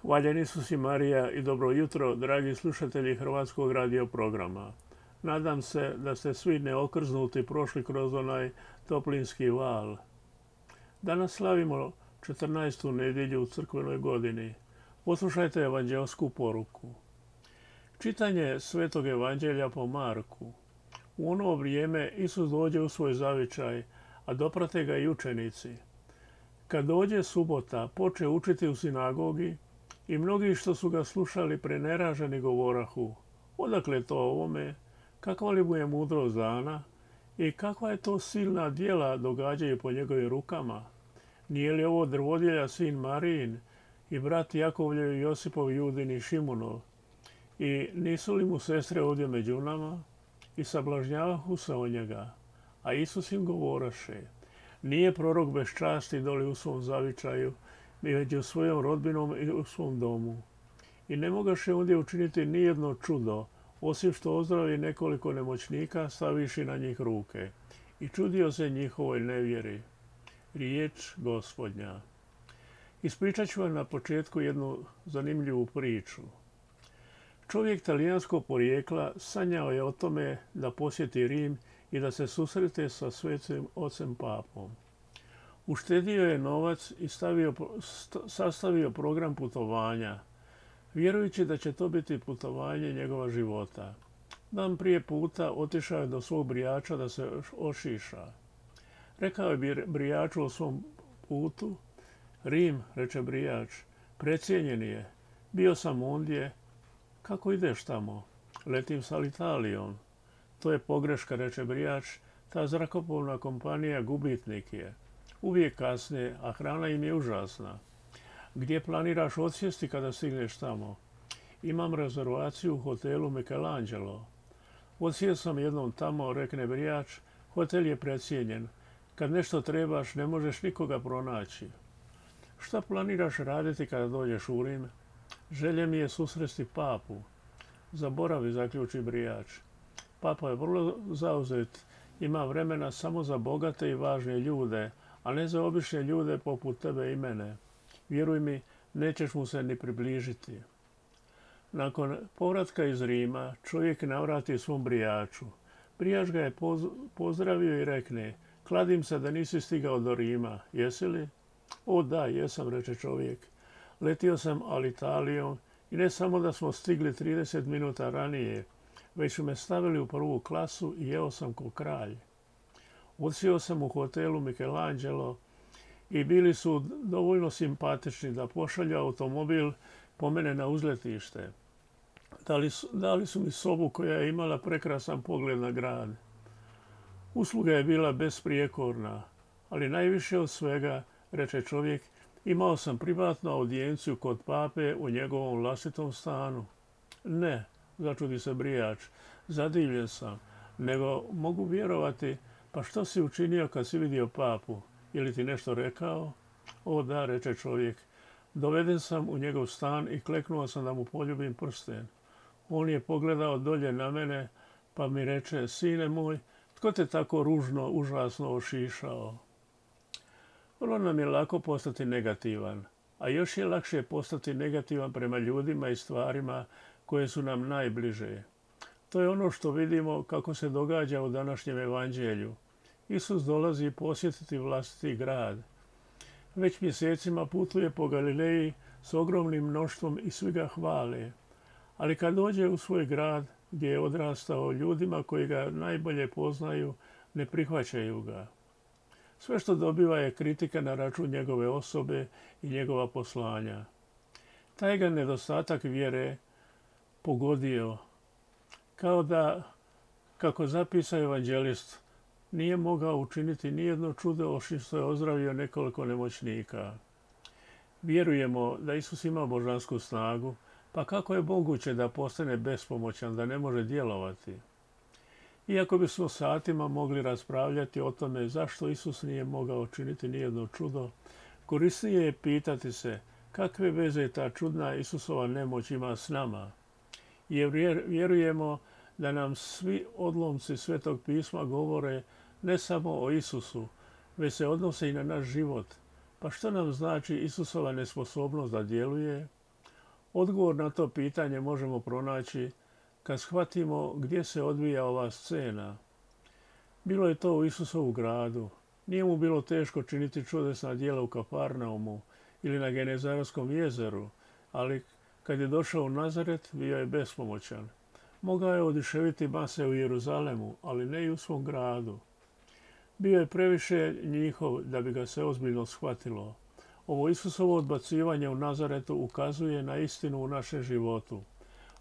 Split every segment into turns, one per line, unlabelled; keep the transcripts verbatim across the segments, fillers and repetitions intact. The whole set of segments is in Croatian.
Hvaljen Isus i Marija i dobro jutro, dragi slušatelji Hrvatskog radio programa. Nadam se da ste svi neokrznuti prošli kroz onaj toplinski val. Danas slavimo četrnaestu nedjelju u crkvenoj godini. Poslušajte evanđelsku poruku. Čitanje Svetog evanđelja po Marku. U ono vrijeme Isus dođe u svoj zavičaj, a doprate ga i učenici. Kad dođe subota, poče učiti u sinagogi i mnogi što su ga slušali preneraženi govorahu: odakle to ovome, kakva li mu je mudrost dana i kakva je to silna djela događaju po njegovim rukama? Nije li ovo drvodjelja sin Marijin i brat Jakovljev i Josipov, Judin i Šimunov? I nisu li mu sestre ovdje među nama? I sablažnjavahu se o njega. A Isus im govoraše: nije prorok bez časti doli u svom zavičaju, i među svojom rodbinom i u svom domu. I ne mogaše ondje učiniti nijedno čudo, osim što ozdravi nekoliko nemoćnika staviši na njih ruke. I čudio se njihovoj nevjeri. Riječ Gospodnja. Ispričat ću vam na početku jednu zanimljivu priču. Čovjek talijanskog porijekla sanjao je o tome da posjeti Rim i da se susrete sa svetim ocem papom. Uštedio je novac i stavio, sastavio program putovanja, vjerujući da će to biti putovanje njegova života. Dan prije puta otišao je do svog brijača da se ošiša. Rekao je brijaču o svom putu: Rim, reče brijač, precijenjen je. Bio sam ondje. Kako ideš tamo? Letim s Alitalijom. To je pogreška, reče brijač, ta zrakoplovna kompanija gubitnik je. Uvijek kasne, a hrana im je užasna. Gdje planiraš odsjesti kada stigneš tamo? Imam rezervaciju u hotelu Michelangelo. Odsjeo sam jednom tamo, rekne brijač, hotel je precijenjen. Kad nešto trebaš, ne možeš nikoga pronaći. Šta planiraš raditi kada dođeš u Rim? Želje mi je susresti papu. Zaboravi, zaključi brijač. Papa je vrlo zauzet, ima vremena samo za bogate i važne ljude, a ne za obične ljude poput tebe i mene. Vjeruj mi, nećeš mu se ni približiti. Nakon povratka iz Rima, čovjek navrati svom brijaču. Brijač ga je poz, pozdravio i rekne: kladim se da nisi stigao do Rima, jesi li? O da, jesam, reče čovjek. Letio sam Alitalijom i ne samo da smo stigli trideset minuta ranije, već su me stavili u prvu klasu i jeo sam ko kralj. Odsjeo sam u hotelu Michelangelo i bili su dovoljno simpatični da pošalju automobil po mene na uzletište. Dali su, dali su mi sobu koja je imala prekrasan pogled na grad. Usluga je bila besprijekorna, ali najviše od svega, reče čovjek, imao sam privatnu audijenciju kod pape u njegovom vlastitom stanu. Ne, začudi se brijač, zadivljen sam, nego mogu vjerovati. Pa što si učinio kad si vidio papu? Je li ti nešto rekao? O da, reče čovjek. Doveden sam u njegov stan i kleknuo sam da mu poljubim prsten. On je pogledao dolje na mene pa mi reče: sine moj, tko te tako ružno, užasno ošišao? Vrlo nam je lako postati negativan, a još je lakše postati negativan prema ljudima i stvarima koje su nam najbliže. To je ono što vidimo kako se događa u današnjem evanđelju. Isus dolazi posjetiti vlastiti grad. Već mjesecima putuje po Galileji s ogromnim mnoštvom i svi ga hvale. Ali kad dođe u svoj grad gdje je odrastao, ljudima koji ga najbolje poznaju ne prihvaćaju ga. Sve što dobiva je kritika na račun njegove osobe i njegova poslanja. Taj ga nedostatak vjere pogodio, kao da, kako zapisa evanđelist, nije mogao učiniti nijedno čudo osim što je ozdravio nekoliko nemoćnika. Vjerujemo da Isus ima božansku snagu, pa kako je moguće da postane bespomoćan, da ne može djelovati? Iako bismo satima mogli raspravljati o tome zašto Isus nije mogao učiniti nijedno čudo, korisnije je pitati se kakve veze ta čudna Isusova nemoć ima s nama. Jer vjerujemo da nam svi odlomci Svetog pisma govore ne samo o Isusu, već se odnose i na naš život. Pa što nam znači Isusova nesposobnost da djeluje? Odgovor na to pitanje možemo pronaći kad shvatimo gdje se odvija ova scena. Bilo je to u Isusovu gradu. Nije mu bilo teško činiti čudesna djela u Kafarnaumu ili na Genezarskom jezeru, ali kad je došao u Nazaret, bio je bespomoćan. Mogao je oduševiti mase u Jeruzalemu, ali ne i u svom gradu. Bio je previše njihov da bi ga se ozbiljno shvatilo. Ovo Isusovo odbacivanje u Nazaretu ukazuje na istinu u našem životu.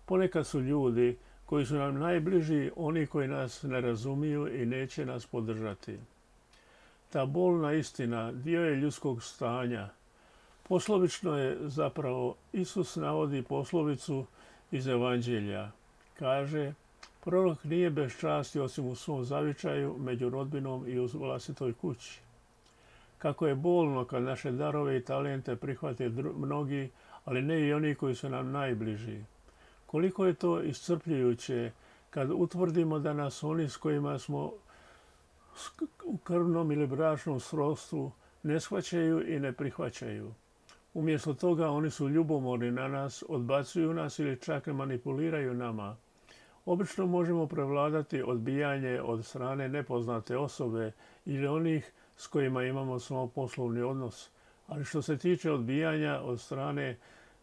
Ponekad su ljudi koji su nam najbliži oni koji nas ne razumiju i neće nas podržati. Ta bolna istina dio je ljudskog stanja. Poslovično je zapravo, Isus navodi poslovicu iz Evanđelja. Kaže, prorok nije bez časti osim u svom zavičaju, među rodbinom i u vlastitoj kući. Kako je bolno kad naše darove i talente prihvate mnogi, ali ne i oni koji su nam najbliži. Koliko je to iscrpljujuće kad utvrdimo da nas oni s kojima smo u krvnom ili bračnom srodstvu ne shvaćaju i ne prihvaćaju. Umjesto toga oni su ljubomorni na nas, odbacuju nas ili čak manipuliraju nama. Obično možemo prevladati odbijanje od strane nepoznate osobe ili onih s kojima imamo samo poslovni odnos. Ali što se tiče odbijanja od strane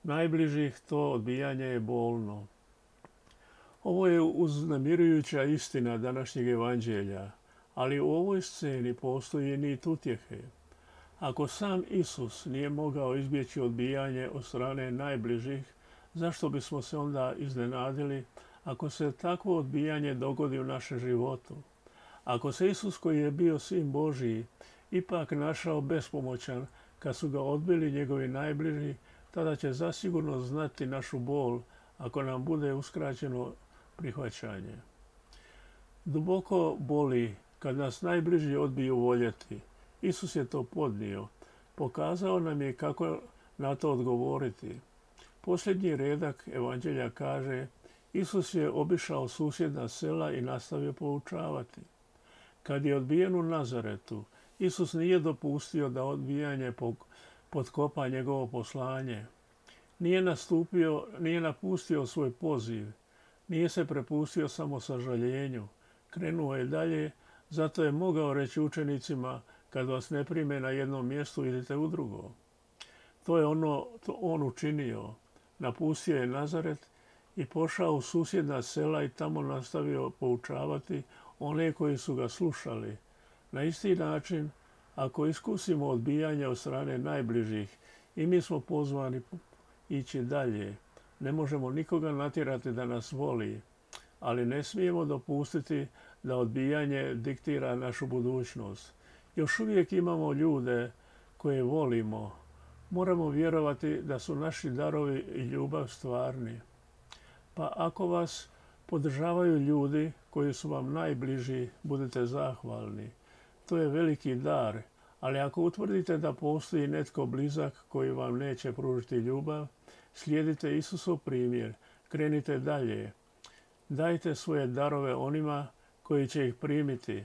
najbližih, to odbijanje je bolno. Ovo je uznemirujuća istina današnjeg evanđelja, ali u ovoj sceni postoji nit utjehe. Ako sam Isus nije mogao izbjeći odbijanje od strane najbližih, zašto bismo se onda iznenadili ako se takvo odbijanje dogodi u našem životu? Ako se Isus, koji je bio Sin Božiji, ipak našao bespomoćan kad su ga odbili njegovi najbliži, tada će zasigurno znati našu bol ako nam bude uskraćeno prihvaćanje. Duboko boli kad nas najbliži odbiju voljeti. Isus je to podnio. Pokazao nam je kako na to odgovoriti. Posljednji redak evanđelja kaže, Isus je obišao susjedna sela i nastavio poučavati. Kad je odbijen u Nazaretu, Isus nije dopustio da odbijanje potkopa njegovo poslanje. Nije nastupio, nije napustio svoj poziv. Nije se prepustio samo sažaljenju. Krenuo je dalje, zato je mogao reći učenicima, kad vas ne prime na jednom mjestu, idite u drugo. To je ono to on učinio. Napustio je Nazaret i pošao u susjedna sela i tamo nastavio poučavati one koji su ga slušali. Na isti način, ako iskusimo odbijanje od strane najbližih, i mi smo pozvani ići dalje. Ne možemo nikoga natjerati da nas voli, ali ne smijemo dopustiti da odbijanje diktira našu budućnost. Još uvijek imamo ljude koje volimo. Moramo vjerovati da su naši darovi i ljubav stvarni. Pa ako vas podržavaju ljudi koji su vam najbliži, budite zahvalni. To je veliki dar, ali ako utvrdite da postoji netko blizak koji vam neće pružiti ljubav, slijedite Isusov primjer, krenite dalje. Dajte svoje darove onima koji će ih primiti.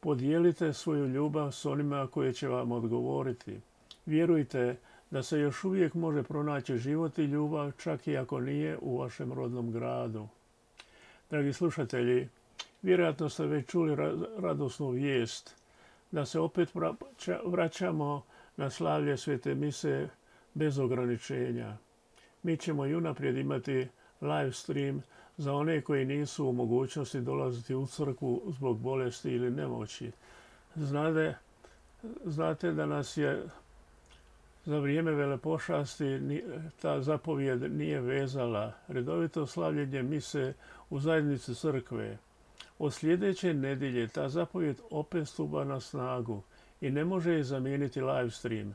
Podijelite svoju ljubav s onima koji će vam odgovoriti. Vjerujte da se još uvijek može pronaći život i ljubav, čak i ako nije u vašem rodnom gradu. Dragi slušatelji, vjerojatno ste već čuli radosnu vijest da se opet vraćamo na slavlje Svete mise bez ograničenja. Mi ćemo i unaprijed imati live stream za one koji nisu u mogućnosti dolaziti u crkvu zbog bolesti ili nemoći. Znate, znate da nas je za vrijeme velepošasti ta zapovijed nije vezala. Redovito slavljenje mise u zajednici crkve. Od sljedeće nedjelje ta zapovijed opet stupa na snagu i ne može je zamijeniti live stream.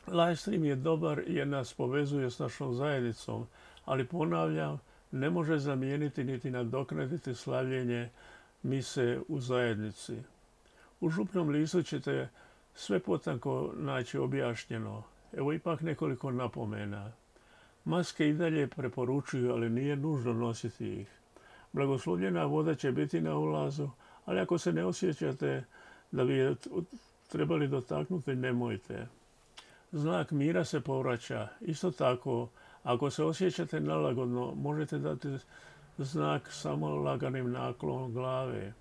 Live stream je dobar jer nas povezuje s našom zajednicom, ali ponavljam, ne može zamijeniti niti nadoknaditi slavljenje mise u zajednici. U župnom listu ćete sve potanko naći objašnjeno. Evo ipak nekoliko napomena. Maske i dalje preporučuju, ali nije nužno nositi ih. Blagoslovljena voda će biti na ulazu, ali ako se ne osjećate da bi je trebali dotaknuti, nemojte. Znak mira se povraća. Isto tako, Ako se osjećate nelagodno, možete dati znak samo laganim naklonom glave.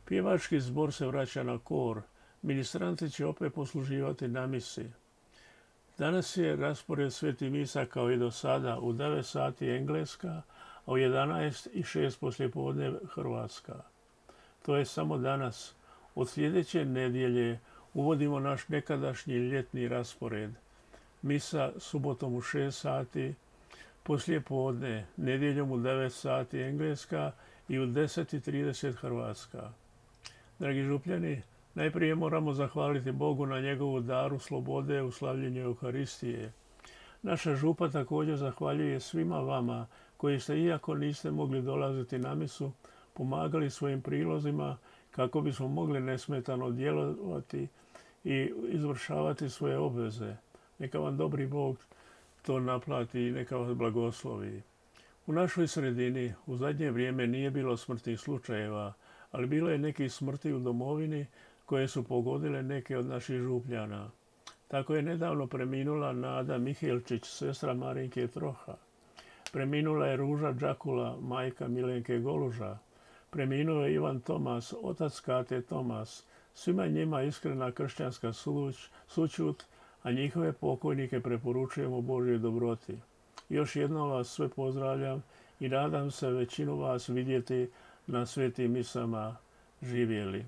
Pjevački zbor se vraća na kor. Ministranti će opet posluživati na misi. Danas je raspored sveti misa kao i do sada u devet sati Engleska, a u jedanaest i šest poslijepodne Hrvatska. To je samo danas. Od sljedeće nedjelje uvodimo naš nekadašnji ljetni raspored. Misa subotom u šest sati, poslijepodne, nedjeljom u devet sati Engleska i u deset i trideset Hrvatska. Dragi župljani, najprije moramo zahvaliti Bogu na njegovu daru slobode u slavljenju Euharistije. Naša župa također zahvaljuje svima vama koji ste, iako niste mogli dolaziti na misu, pomagali svojim prilozima kako bismo mogli nesmetano djelovati i izvršavati svoje obveze. Neka vam dobri Bog to naplati i neka vas blagoslovi. U našoj sredini u zadnje vrijeme nije bilo smrtnih slučajeva, ali bilo je nekih smrti u domovini koje su pogodile neke od naših župljana. Tako je nedavno preminula Nada Mihelčić, sestra Marinke Troha. Preminula je Ruža Đakula, majka Milenke Goluža. Preminuo je Ivan Tomas, otac Kate Tomas. Svima njima iskrena kršćanska suć, sućut, a njihove pokojnike preporučujemo Božjoj dobroti. Još jednom vas sve pozdravljam i nadam se većinu vas vidjeti na svetim misama. Živjeli.